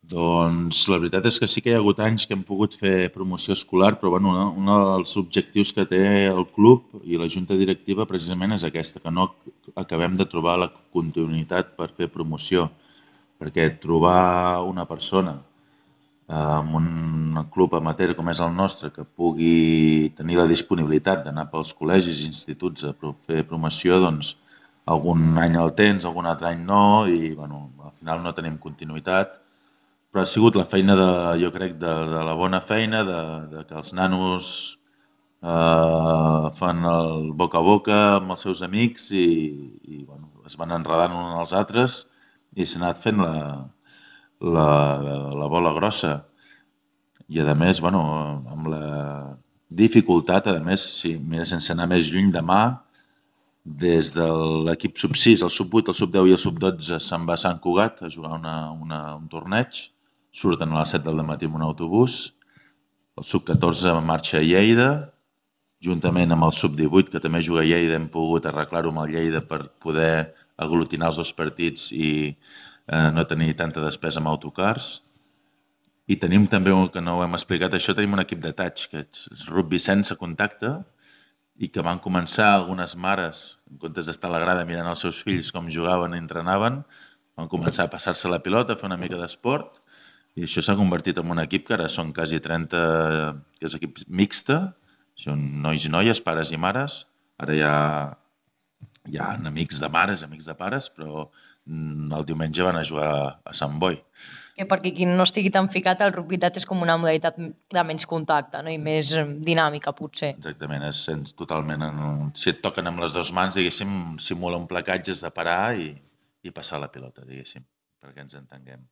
Doncs la veritat és que sí que hi ha hagut anys que hem pogut fer promoció escolar, però bueno, un dels objectius que té el club i la junta directiva precisament és aquesta, que no acabem de trobar la continuïtat per fer promoció, perquè trobar una persona en un club amateur com és el nostre que pugui tenir la disponibilitat d'anar pels col·legis i instituts a fer promoció, doncs algun any el tens, algun altre any no, i bueno, al final no tenim continuïtat. Però ha sigut la feina, jo crec, de la bona feina, de que els nanos fan el boca a boca amb els seus amics i bueno, es van enredant uns als altres i s'ha anat fent la, la bola grossa. I a més, bueno, amb la dificultat, a més, si mira, sense anar més lluny, demà, des de l'equip sub-6, el sub-8, el sub-10 i el sub-12 se'n va a Sant Cugat a jugar un torneig. Surten a les 7 del matí amb un autobús. El sub-14 marxa a Lleida, juntament amb el sub-18, que també juga a Lleida, hem pogut arreglar-ho amb el Lleida per poder aglutinar els dos partits i no tenir tanta despesa amb autocars. I tenim també, que no ho hem explicat això, tenim un equip de touch, que és rugby sense contacte, i que van començar algunes mares, en comptes d'estar a la grada mirant els seus fills com jugaven i entrenaven, van començar a passar-se la pilota, a fer una mica d'esport, i això s'ha convertit en un equip que ara són quasi 30, que és equip mixta, són nois i noies, pares i mares, ara hi ha amics de mares, amics de pares, però el diumenge van a jugar a Sant Boi. Que perquè qui no estigui tan ficat, el rugby touch és com una modalitat de menys contacte, no? I més dinàmica, potser. Exactament, és totalment... Si et toquen amb les dues mans, diguéssim, simula un placatge, has de parar i passar la pilota, diguéssim, perquè ens entenguem.